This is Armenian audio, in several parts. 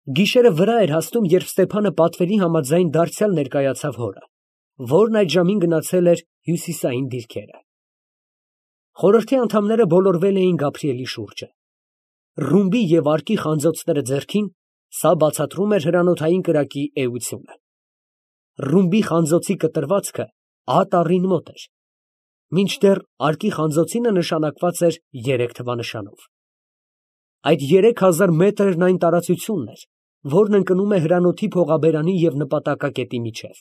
Գիշերը վրա էր հասնում, երբ Ստեփանը պատվերի համաձայն դարձյալ ներկայացավ հորը, որն այդ ժամին գնացել էր հյուսիսային դիրքերը։ Խորհրդի անդամները բոլորվել էին Գաբրիելի շուրջը։ Ռումբի և արկի խանձոցները ձեռքին, սա բացատրում էր հրանոթային կրակի էությունը։ Ռումբի խանձոցի կտրվածքը ահատարին մոտ էր, մինչդեռ արկի խանձոցինը նշանակված էր 3 թվանշանով։ Այդ 3000 մետրն այն տարածությունն էր, որն ընկնում է հրանոթի փողաբերանի և նպատակակետի միջև։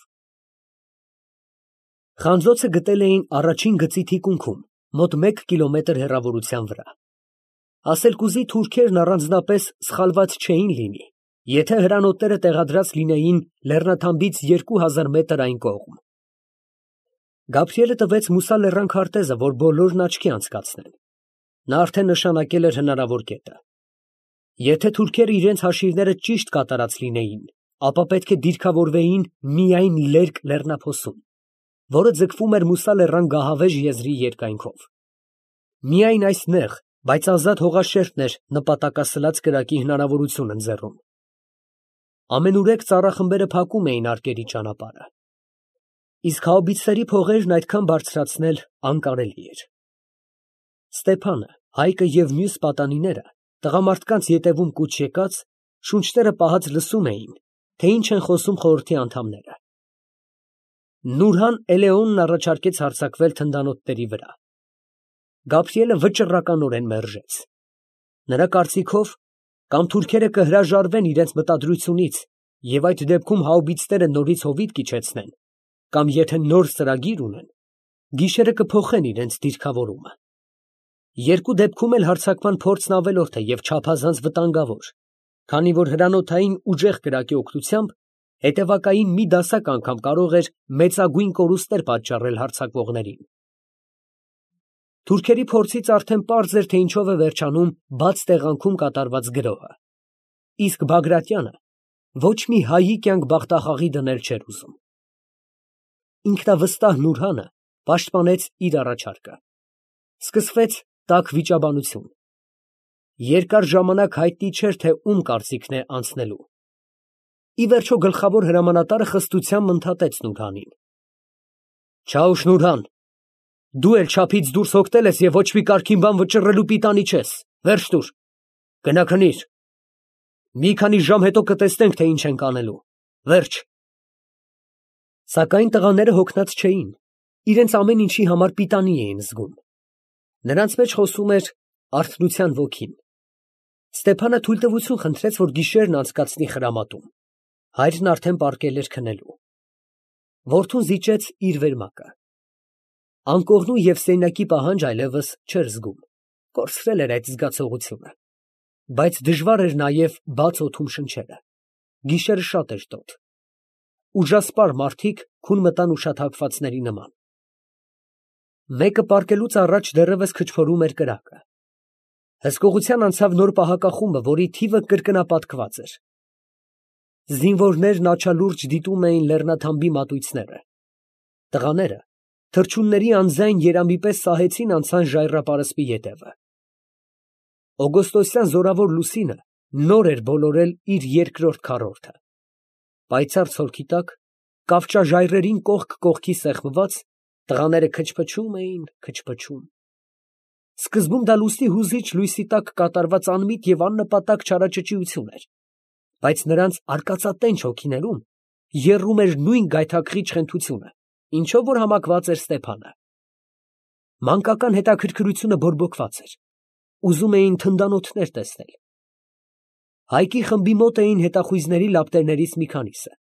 Խանձոցը գտել էին առաջին գծի թիկունքում, մոտ 1 կիլոմետր հեռավորության վրա։ Ասել կուզի թուրքերն առանձնապես սխալված չէին լինի, եթե հրանոթները տեղադրած լինեին լեռնաթամբից 2000 մետր այն կողմ։ Գաբրիելը տվեց Մուսա լեռան քարտեզը, որ բոլորն աչքի անցկացնեն։ Նա արդեն նշանակել էր հնարավոր կետը։ Եթե թուրքերը իրենց հաշիվները ճիշտ կատարած լինեին, ապա պետք է դիրքավորվեին միայն Լերկ լեռնափոսում, որը ձգվում էր Մուսա լեռան գահավեժ եզրի երկայնքով։ Միայն այս նեղ, բայց ազատ հողաշերտն էր նպատակասլաց կրակի հնարավորություն ընձեռում։ Ամենուրեք ծառախմբերը փակում էին արկերի ճանապարհը, իսկ հաուբիցերի փողերն այդքան բարձրացնել անկարելի էր։ Ստեփանը, Հայկը և մյուս պատանիները տղամարդկանց ետևում կուչ եկած, շունչները պահած լսում էին, թե ինչ են խոսում խորհրդի անդամները։ Նուրհան Էլեոնն առաջարկեց հարձակվել թնդանոթների վրա։ Գաբրիելը վճռականորեն մերժեց։ Նրա կարծիքով, կամ թուրքերը կհրաժարվեն իրենց մտադրությունից և այդ դեպքում հաուբիցները նորից հովիտ կիջեցնեն, կամ եթե նոր ծրագիր ունեն, գիշերը կփոխեն իրենց դիրքավորումը։ Երկու դեպքում էլ հարձակման փորձն ավելորդ է և չափազանց վտանգավոր, քանի որ հրանոթային ուժեղ կրակի օգնությամբ հետևակային մի դասակ անգամ կարող էր մեծագույն կորուստներ պատճառել հարձակվողներին։ Թուրքերի փորձից արդեն պարզ էր, թե ինչով է վերջանում բաց տեղանքում կատարված գրոհը, իսկ Բագրատյանը ոչ մի հայի կյանք բախտախաղի դնել չէր ուզում։ Ինքնավստահ Նուրհանը պաշտպանեց իր առաջարկը։ Սկսվեց տաք վիճաբանություն։ Երկար ժամանակ հայտնի չէր, թե ում կարծիքն է անցնելու։ Ի վերջո գլխավոր հրամանատարը խստությամբ ընդհատեց Նուրհանին։ Չաուշ Նուրհան, դու էլ չափից դուրս հոգնել ես և ոչ մի կարգին բան վճռելու պիտանի չես, վերջ տուր, գնա քնիր։ Մի քանի ժամ հետո կտեսնենք, թե ինչ ենք անելու, վերջ։ Սակայն տղաները հոգնած չէին, իրենց ամեն ինչի համար պիտանի էին զգում։ Նրանց մեջ խոսում էր արթնության ոգին։ Ստեփանը թույլտվություն խնդրեց, որ գիշերն անցկացնի խրամատում։ Հայրն արդեն պառկել էր քնելու։ Որդուն զիջեց իր վերմակը։ Անկողնու և սենյակի պահանջ այլևս չէր զգում, կորցրել էր այդ զգացողությունը։ Բայց դժվար էր նաև բաց օդում շնչելը։ Գիշերը շատ էր տոտ։ Ուժասպառ մարդիկ քուն մտան ուշաթափվածների նման։ Մեկը պառկելուց առաջ դեռևս քչփորում էր կրակը։ Հսկողության անցավ նոր պահակախումբը, որի թիվը կրկնապատկված էր։ Զինվորներն աչալուրջ դիտում էին լեռնաթամբի մատույցները։ Տղաները թռչունների անձայն երամի պես սահեցին անցան ժայռապարսպի ետևը։ Օգոստոսյան զորավոր լուսինը նոր էր բոլորել իր երկրորդ քառորդը։ Պայծառ ցորքի տակ, կավճաժայռերին կողք կողքի սեղմված, տղաները քչփչում էին, քչփչում։ Սկզբում դա լուսնի հուզիչ լույսի տակ կատարված անմիտ և աննպատակ չարաճճիություն էր, բայց նրանց արկածատենչ հոգիներում եռում էր նույն գայթակղիչ խենթությունը, ինչով որ համակված էր Ստեփանը։ Մանկական հետաքրքրությունը բորբոքված էր, ուզում էին թնդանոթներ տեսնել։ Հայկի խմբի մոտ էին հետախույզների լապտերներից մի քանիսը։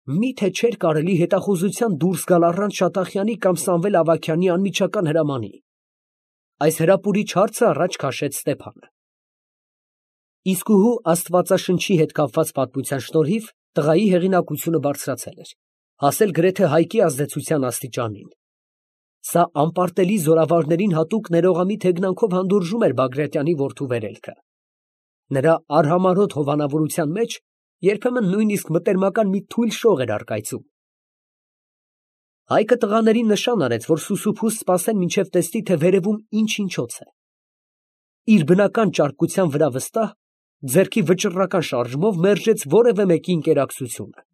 Մի՞թե չէր կարելի հետախուզության դուրս գալ առանց Շատախյանի կամ Սամվել Ավագյանի անմիջական հրամանի։ Այս հրապուրիչ հարցը առաջ քաշեց Ստեփանը։ Իսկուհու Աստվածաշնչի հետ կապված պատմության շնորհիվ տղայի հեղինակությունը բարձրացել էր, հասել գրեթե Հայկի ազդեցության աստիճանին։ Սա անպարտելի զորավարներին հատուկ ներողամիտ հեգնանքով հանդուրժում էր Բագրատյանի որդու վերելքը։ Նրա արհամարհոտ հովանավորության մեջ երբեմն նույնիսկ մտերմական մի թույլ շող էր առկայծում։ Հայկը տղաներին նշան արեց, որ սուսուփուս սպասեն, մինչև տեսնի, թե վերևում ինչ֊ինչոց է։ Իր բնական ճարպկության վրա վստահ, ձեռքի վճռական շարժումով մերժեց որևէ մեկի ինկերակցությունը։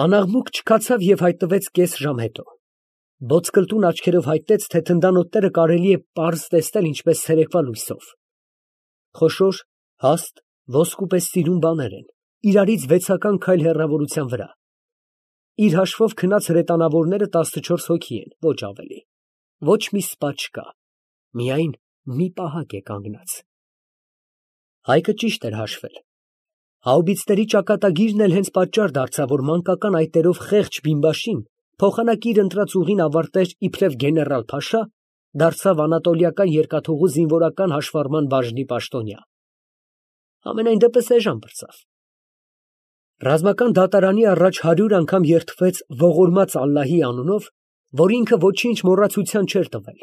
Անաղմուկ չքացավ և հայտնվեց կես ժամ հետո։ Ոսկլտուն աչքերով հայտնեց, թե թնդանոթները կարելի է պարզ տեսնել ինչպես ցերեկվա լույսով։ Խոշոր, հաստ, ոսկու պես սիրուն բաներ են, իրարից 6 քայլ հեռավորության վրա։ Իր հաշվով քնած հրետանավորները 14 հոգի են, ոչ ավելի։ Ոչ մի սպա չկա, միայն մի պահակ է կանգնած։ Հայկը ճիշտ էր հաշվել։ Հաուբիցների ճակատագիրն էլ հենց պատճառ դարձավ, որ մանկական այտերով խեղճ բիմբաշին փոխանակի իր ընտրած ուղին ավարտեր իբրև գեներալ փաշա, դարձավ անատոլիական երկաթուղու զինվորական հաշվառման բաժնի պաշտոնյա։ Ամենայն դեպս էժան պրծավ։ Ռազմական դատարանի առաջ 100 անգամ երդվեց ողորմած Ալլահի անունով, որ ինքը ոչինչ մոռացության չէր տվել,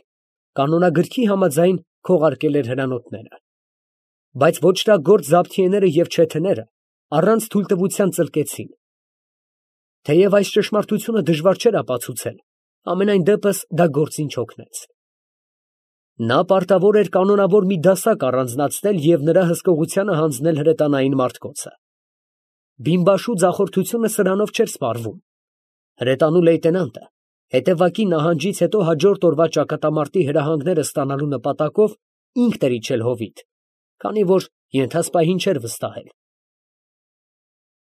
կանոնագրքի համաձայն քողարկել էր հրանոթները։ Բայց ոճրագործ զաբթիեները և չեթեները առանց թույլտվության ծլկեցին։ Թեև այս ճշմարտությունը դժվար չէր ապացուցել, ամենայն դեպս դա գործին չօգնեց։ Նա պարտավոր էր կանոնավոր մի դասակ առանձնացնել և նրա հսկողությանը հանձնել հրետանային մարտկոցը։ Բիմբաշու ձախորդությունը սրանով չէր սպառվում։ Հրետանու լեյտենանտը հետևակի նահանջից հետո հաջորդ օրվա ճակատամարտի հրահանգները ստանալու նպատակով ինքն էր իջել հովիտ, քանի որ ենթասպահին չէր վստահել։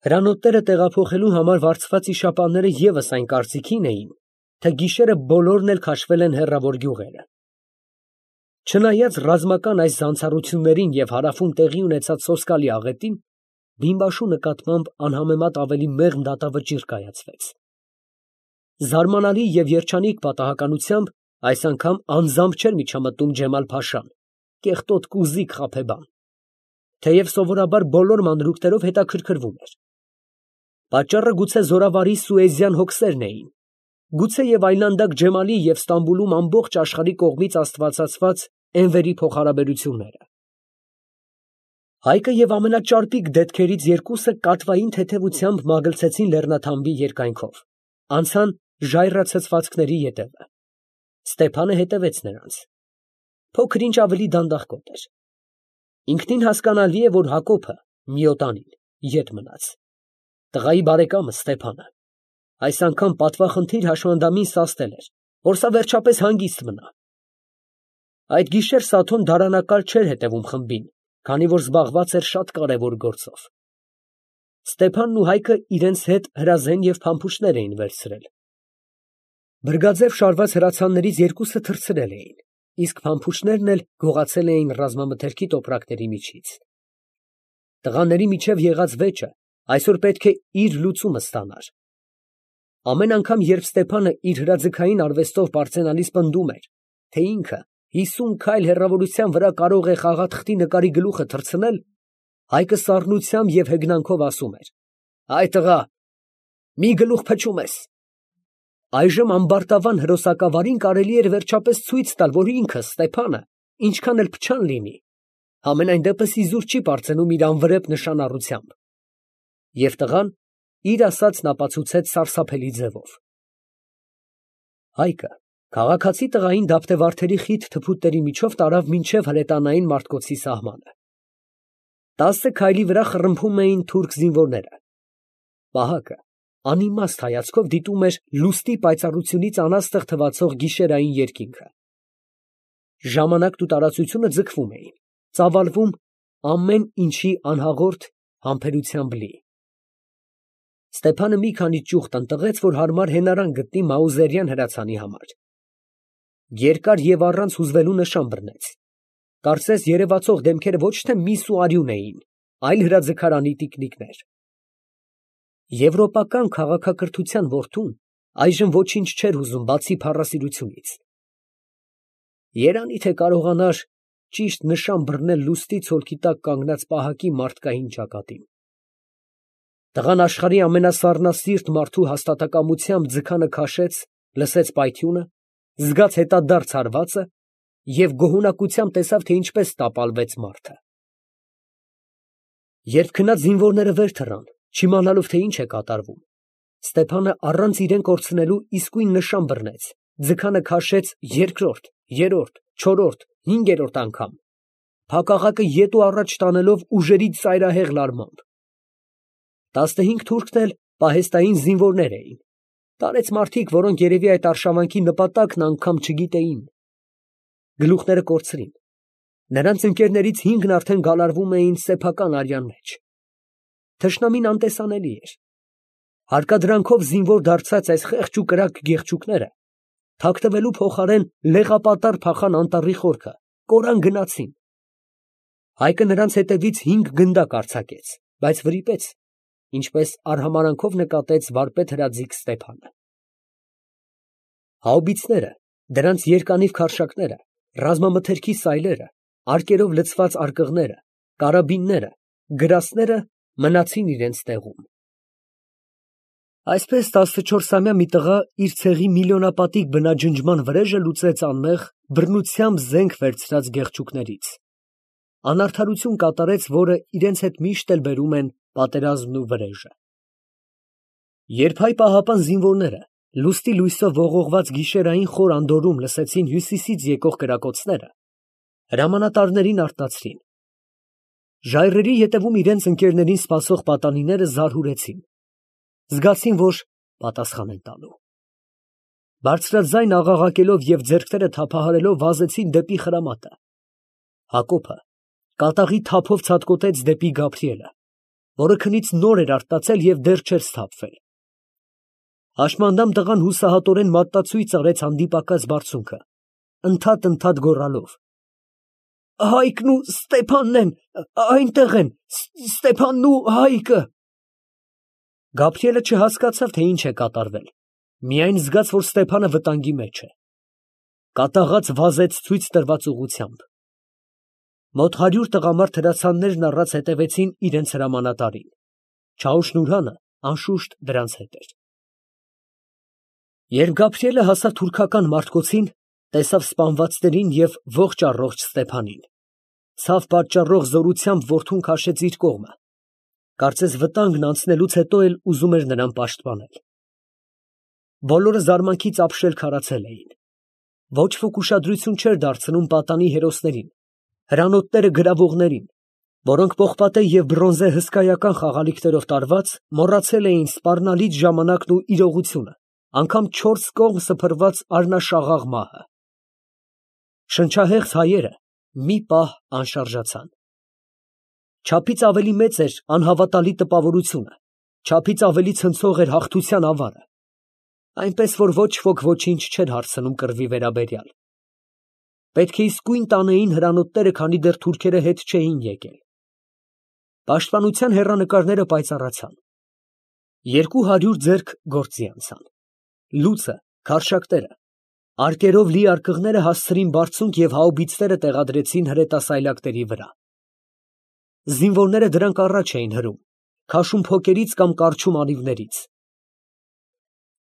Հրանոթները տեղափոխելու համար վարձված իշապանները ևս այն կարծիքին էին, թե գիշերը բոլորն էլ քաշվել են հեռավոր գյուղերը։ Չնայած ռազմական այս զանցառություններին և հարավում տեղի ունեցած սոսկալի աղետին, բիմբաշու նկատմամբ անհամեմատ ավելի մեղմ դատավճիռ կայացվեց։ Զարմանալի և երջանիկ պատահականությամբ այս անգամ անձամբ չէր միջամտում Ջեմալ֊փաշան, կեղտոտ կուզիկ խաբեբան, թեև սովորաբար բոլոր մանրուքներով հետաքրքրվում էր։ Պատճառը գուցե զորավարի սուեզյան հոգսերն էին, գուցե և այլանդակ Ջեմալի և Ստամբուլում ամբողջ աշխարհի կողմից աստվածացված Էնվերի փոխհարաբերությունները։ Հայկը և ամենաճարպիկ դետքերից երկուսը կատվային թեթևությամբ մագլցեցին լեռնաթամբի երկայնքով, անցան ժայռացցվածքների ետևը։ Ստեփանը հետևեց նրանց։ Փոքր ինչ ավելի դանդաղկոտ էր։ Ինքնին հասկանալի է, որ Հակոբը Միոտանին ետ մնաց։ Տղայի բարեկամը Ստեփանը այս անգամ պատվախնդիր հաշմանդամին սաստել էր, որ սա վերջապես հանգիստ մնա։ Այդ գիշեր Սաթոն դարանակալ չէր հետևում խմբին, քանի որ զբաղված էր շատ կարևոր գործով։ Ստեփանն ու Հայկը իրենց հետ հրազեն և փամփուշտներ էին վերցրել։ Բրգաձև շարված հրացաններից երկուսը թռցրել էին, իսկ փամփուշտներն էլ գողացել էին ռազմամթերքի տոպրակների միջից։ Տղաների միջև եղած վեճը այսօր պետք է իր լուծումը ստանար։ Ամեն անգամ, երբ Ստեփանը իր հրաձգային արվեստով պարծենալիս պնդում էր, թե ինքը 50 քայլ հեռավորության վրա կարող է խաղաթղթի նկարի գլուխը թռցնել, Հայկը սառնությամբ և հեգնանքով ասում էր. «Այ տղա, մի գլուխ փչում ես»։ Այժմ ամբարտավան հրոսակավարին կարելի էր վերջապես ցույց տալ, որ ինքը Ստեփանը, ինչքան էլ փչան լինի, համենայն դեպս իզուր չի պարծենում իր անվրեպ նշանառությամբ։ Եվ տղան իր ասածն ապացուցեց սարսափելի ձևով։ Հայկը քաղաքացի տղային դափտեվարդերի խիտ թփուտների միջով տարավ մինչև հրետանային մարտկոցի սահմանը։ 10 քայլի վրա խռմփում էին թուրք զինվորները։ Վահակը անիմաստ հայացքով դիտում էր լուստի պայծառությունից անաստղ թվացող գիշերային երկինքը։ Ժամանակն ու տարածությունը ձգվում էին, ծավալվում ամեն ինչի անհաղորդ համբերությամբ լի։ Ստեփանը մի քանի ճյուղ տնտղեց, որ հարմար հենարան գտնի Մաուզերյան հրացանի համար։ Երկար և առանց հուզվելու նշան բռնեց։ Կարծես երևացող դեմքերը ոչ թե միս ու արյուն էին, այլ հրաձգարանի տիկնիկներ։ Եվրոպական քաղաքակրթության որդուն այժմ ոչինչ չէր հուզում, բացի փառասիրությունից։ Երանի թե կարողանար ճիշտ նշան բռնել լուստի ցոլքի տակ կանգնած պահակի մարդկային ճակատին։ Տղան աշխարհի ամենասառնասիրտ մարդու հաստատակամությամբ ձգանը քաշեց, լսեց պայթյունը, զգաց հետադարձ հարվածը և գոհունակությամբ տեսավ, թե ինչպես տապալվեց մարդը։ Երբ քնած զինվորները վեր թռան, չիմանալով, թե ինչ է կատարվում, Ստեփանը առանց իրեն կորցնելու իսկույն նշան բռնեց, ձգանը քաշեց երկրորդ, երրորդ, չորրորդ, հինգերորդ անգամ։ փակաղակը ետ ու առաջ տանելով ուժերի ծայրահեղ լարմամբ։ 15 թուրքն էլ պահեստային զինվորներ էին, տարեց մարդիկ, որոնք երևի այդ արշավանքի նպատակն անգամ չգիտեին։ Գլուխները կորցրին, նրանց ընկերներից 5-ն արդեն գալարվում էին սեփական արյան մեջ։ Թշնամին անտեսանելի էր։ Հարկադրանքով զինվոր դարձած այս խեղճ ու կրակ գեղչուկները թաքնվելու փոխարեն լեղապատառ փախան անտառի խորքը, կորան գնացին։ Հայկը նրանց հետևից 5 գնդակ արձակեց, բայց վրիպեց, ինչպես արհամարանքով նկատեց վարպետ հրաձիգ Ստեփանը։ Հաուբիցները, դրանց երկանիվ քարշակները, ռազմամթերքի սայլերը, արկերով լցված արկղները, կարաբինները, գրասները մնացին իրենց տեղում։ Այսպես 14-ամյա մի տղա իր ցեղի միլիոնապատիկ բնաջնջման վրեժը լուծեց անմեղ բռնությամբ զենք վերցրած գեղչուկներից։ Անարդարություն կատարեց, որը իրենց հետ միշտ էլ բերում են պատերազմն ու վրեժը։ Երբ հայ պահապան զինվորները լուստի լույսով ողողված գիշերային խոր անդորում լսեցին հյուսիսից եկող կրակոցները, հրամանատարներին արտացրին։ Ժայռերի ետևում իրենց ընկերներին սպասող պատանիները զարհուրեցին, զգացին, որ պատասխան են տալու։ Բարձրաձայն աղաղակելով և ձեռքները թափահարելով վազեցին դեպի խրամատը։ Հակոբը կատաղի թափով ցատկոտեց դեպի Գաբրիելը, որը քնից նոր էր արտացել և դեռ չէր սթափվել։ Հաշմանդամ տղան հուսահատորեն մատտացույց արեց հանդիպակաց բարձունքը, ընդհատ գոռալով. «Հայկն ու Ստեփանն են, այնտեղ են, Ստեփանն ու Հայկը»։ Գաբրիելը չհասկացավ, թե ինչ է կատարվել, միայն զգաց, որ Ստեփանը վտանգի մեջ է։ Կատաղած վազեց ցույց տրված ուղղությամբ։ Մոտ 100 տղամարդ հրացաններն առած հետևեցին իրենց հրամանատարին։ Չաուշ֊Նուրհանը անշուշտ դրանց հետ էր։ Երբ Գաբրիելը հասավ թուրքական մարտկոցին, տեսավ սպանվածներին և ողջ առողջ Ստեփանին, ցավ պատճառող զորությամբ որդուն քաշեց իր կողմը, կարծես վտանգն անցնելուց հետո էլ ուզում էր նրան պաշտպանել։ Բոլորը զարմանքից ապշել քարացել էին։ Ոչ ոք ուշադրություն չէր դարձնում պատանի հերոսներին, հրանոթները գրավողներին, որոնք պողպատե և բրոնզե հսկայական խաղալիքներով տարված, մոռացել էին սպառնալիք ժամանակն ու իրողությունը, անգամ 4 կողմ սփռված առնաշաղաղ մահը։ Շնչահեղձ հայերը մի պահ անշարժացան։ Չափից ավելի մեծ էր անհավատալի տպավորությունը, չափից ավելի ցնցող էր հաղթության ավարը, այնպես որ ոչ ոք ոչինչ չէր հարցնում կռվի վերաբերյալ։ Պետք է իսկույն տանեին հրանոթները, քանի դեռ թուրքերը հետ չէին եկել։ Պաշտպանության հեռանկարները պայծառացան։ 200 ձեռք գործի անցան։ Լուծը, քարշակտերը, արկերով լի արկղները հասցրին բարձունք և հաուբիցները տեղադրեցին հրետասայլակների վրա։ Զինվորները դրանք առաջ էին հրում, քաշում փոկերից կամ կառչում անիվներից։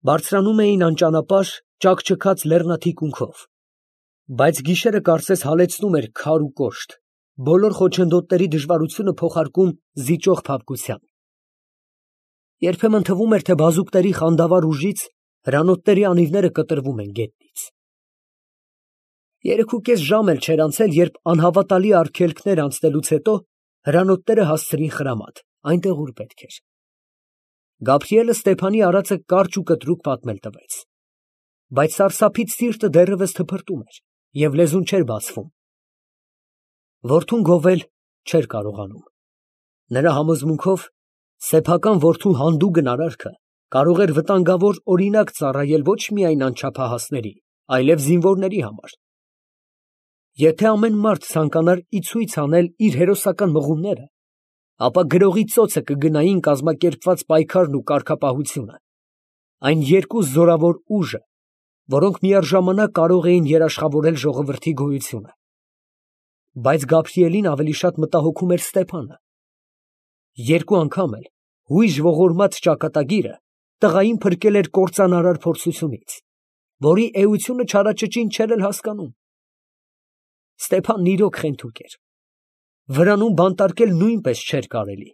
Բարձրանում էին անճանապարհ, ճաքճքած լեռնաթիկունքով, բայց գիշերը կարծես հալեցնում էր քար ու կոշտ, բոլոր խոչընդոտների դժվարությունը փոխարկում զիջող փափկության։ Երբեմն թվում էր, թե բազուկների խանդավառ ուժից հրանոթների անիվները կտրվում են գետնից։ 3.5 ժամ էլ չէր անցել, երբ անհավատալի արգելքներ անցնելուց հետո հրանոթները հասցրին խրամատ, այնտեղ, ուր պետք էր։ Գաբրիելը Ստեփանի արածը կարճ ու կտրուկ պատմել տվեց, բայց սարսափից սիրտը դեռևս թփրտում էր և լեզուն չէր բացվում։ Որդուն գովել չէր կարողանում։ Նրա համոզմունքով սեփական որդու հանդուգն արարքը կարող էր վտանգավոր օրինակ ծառայել ոչ միայն անչափահասների, այլև զինվորների համար։ Եթե ամեն մարդ ցանկանար ի ցույց անել իր հերոսական մղումները, ապա գրողի ծոցը կգնային կազմակերպված պայքարն ու կարգապահությունը, այն երկու զորավոր ուժը, որոնք միառժամանակ կարող էին երաշխավորել ժողովրդի գոյությունը։ Բայց Գաբրիելին ավելի շատ մտահոգում էր Ստեփանը։ 2 անգամ էլ հույժ ողորմած ճակատագիրը տղային փրկել էր կործանարար փորձությունից, որի էությունը չարաճճին չէր էլ հասկանում։ Ստեփանն իրոք խենթուկ էր։ Վրանում բանտարկել նույնպես չէր կարելի։